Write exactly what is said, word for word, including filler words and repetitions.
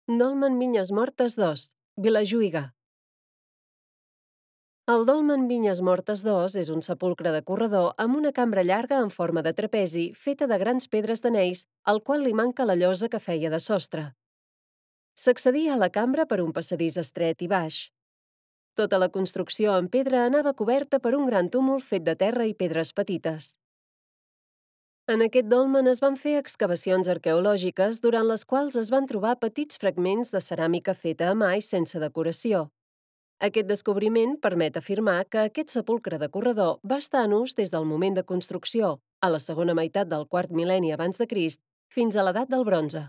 Dolmen Vinyes Mortes dos, Vilajuïga. El Dolmen Vinyes Mortes dos és un sepulcre de corredor amb una cambra llarga en forma de trapezi feta de grans pedres d'anells, al qual li manca la llosa que feia de sostre. S'accedia a la cambra per un passadís estret i baix. Tota la construcció en pedra anava coberta per un gran túmul fet de terra i pedres petites. En aquest dolmen es van fer excavacions arqueològiques durant les quals es van trobar petits fragments de ceràmica feta a mà i sense decoració. Aquest descobriment permet afirmar que aquest sepulcre de corredor va estar en ús des del moment de construcció, a la segona meitat del quart mil·lenni abans de Crist, fins a l'edat del bronze.